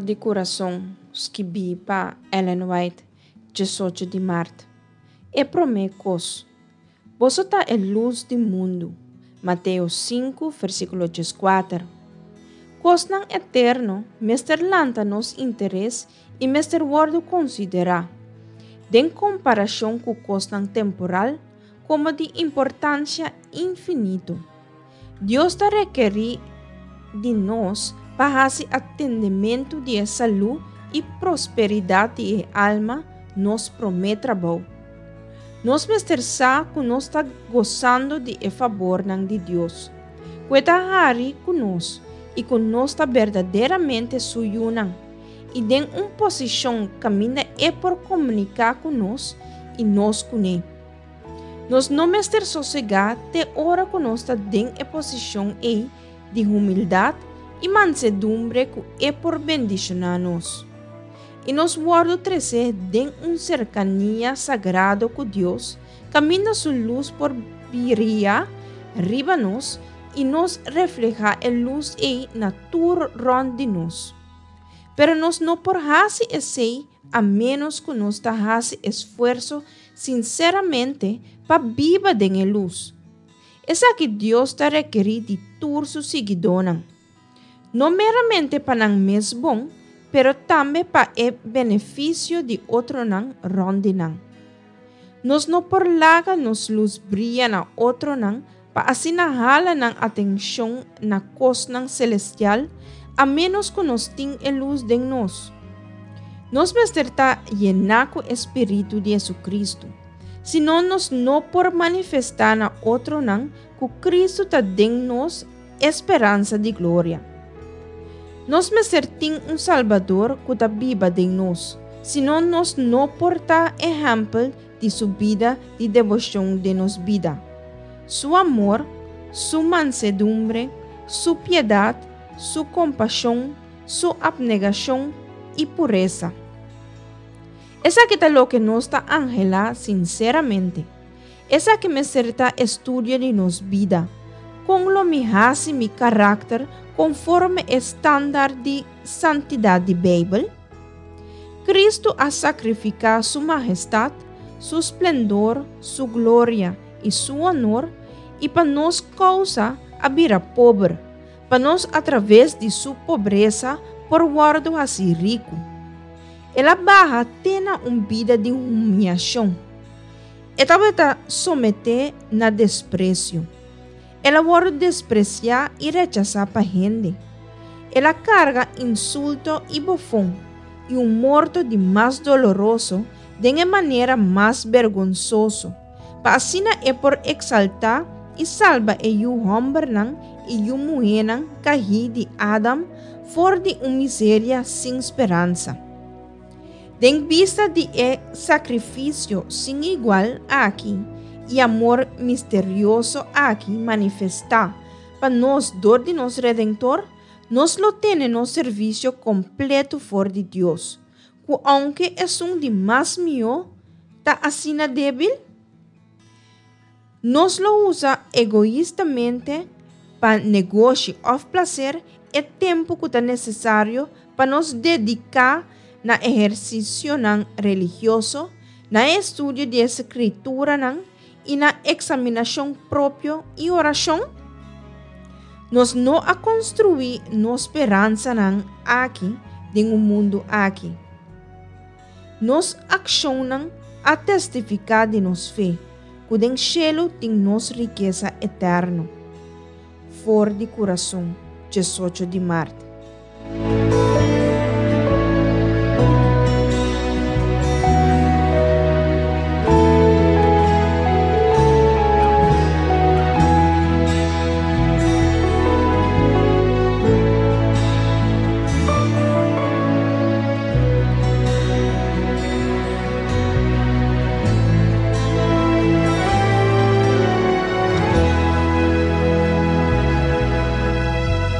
di Kurason, skibí pa Ellen White, 18 di mart. E promé kos. Boso ta e lus di mundu. Mateo 5, versíkulo 14. Kosnan eterno mester lanta nos interes i mester wòrdu konsiderá, den komparashon ku kosnan temporal, komo di importansia infinito. Dios ta rekerí di nos pa hasi atendementu di e salú i prosperidat di e alma nos promé trabou. Nos mester sa ku nos ta gosando di e fabornan di Dios, ku e ta hari ku nos i ku nos ta berdaderamente su yunan, i den un posishon kaminda e por komuniká ku nos i nos kuné. Nos no mester sosegá te ora ku nos ta den e posishon ei di humildat i mansedumbre ku e por bendishoná nos. I nos wòrdu tresé den un serkania sagrado ku Dios kaminda su lus por bria riba nos i nos reflehá e lus ei na tur rònt di nos. Pero nos no por hasi esei a ménos ku nos ta hasi esfuerso sinseramente pa biba den e lus. Esaki Dios ta rekerí di tur su siguidónan. No meramente pa nan mes bon, pero tambe pa e benefisio di otronan rònt di nan. Nos no por laga nos lus bria na otronan pa asina hala nan atenshon na kosnan selestial a ménos ku nos tin e lus den nos. Nos mester ta yená ku e spiritu di Hesukristu, sino nos no por manifestá na otronan ku Kristu ta den nos e speransa di gloria. Nos mester tin un Salbador ku ta biba den nos, sino nos no por ta ehèmpel di su bida di deboshon den nos bida. Su amor, su mansedumbre, su piedat, su kompashon, su apnegashon i puresa. Esaki ta loke nos ta anhelá sinseramente. Esaki mester ta e studio di nos bida. Kon lo mi hasi mi karakter konforme e standaard di santidat di Beibel? Kristu a sakrifiká su mahestat, su splendor, su gloria i su honor, i pa nos kousa a bira pober, pa nos atraves di su pobresa por wòrdu hasí riku. El a baha te na un bida di humiashon. E tabata someté na despresio. El a wòrdu despresiá i rechasá pa hende. El a karga insulto i bofon i un morto di mas doloroso den e manera mas bergonsoso, pa asina e por eksaltá i salba e yu hòmbernan i yu muhénan kahí di Adam for di un miseria sin speransa. Den bista di e sakrifisio sin igual aki i amor misterioso aki manifestá pa nos dor di nos Redentor, nos lo tene nos servisio kompleto for di Dios, ku ounke esun di mas mihó ta asina débil? Nos lo usa egoistamente pa negoshi òf plaser e tempu ku ta nesesario pa nos dediká na ehersisionan religioso, na e estudio di e Skrituranan i na eksaminashon propio i orashon? Nos no a konstruí nos speransanan aki den un mundu aki. Nos akshonnan a testifiká di nos fe, ku den shelu tin nos rikesa eterno. For di kurason, 18 di mart.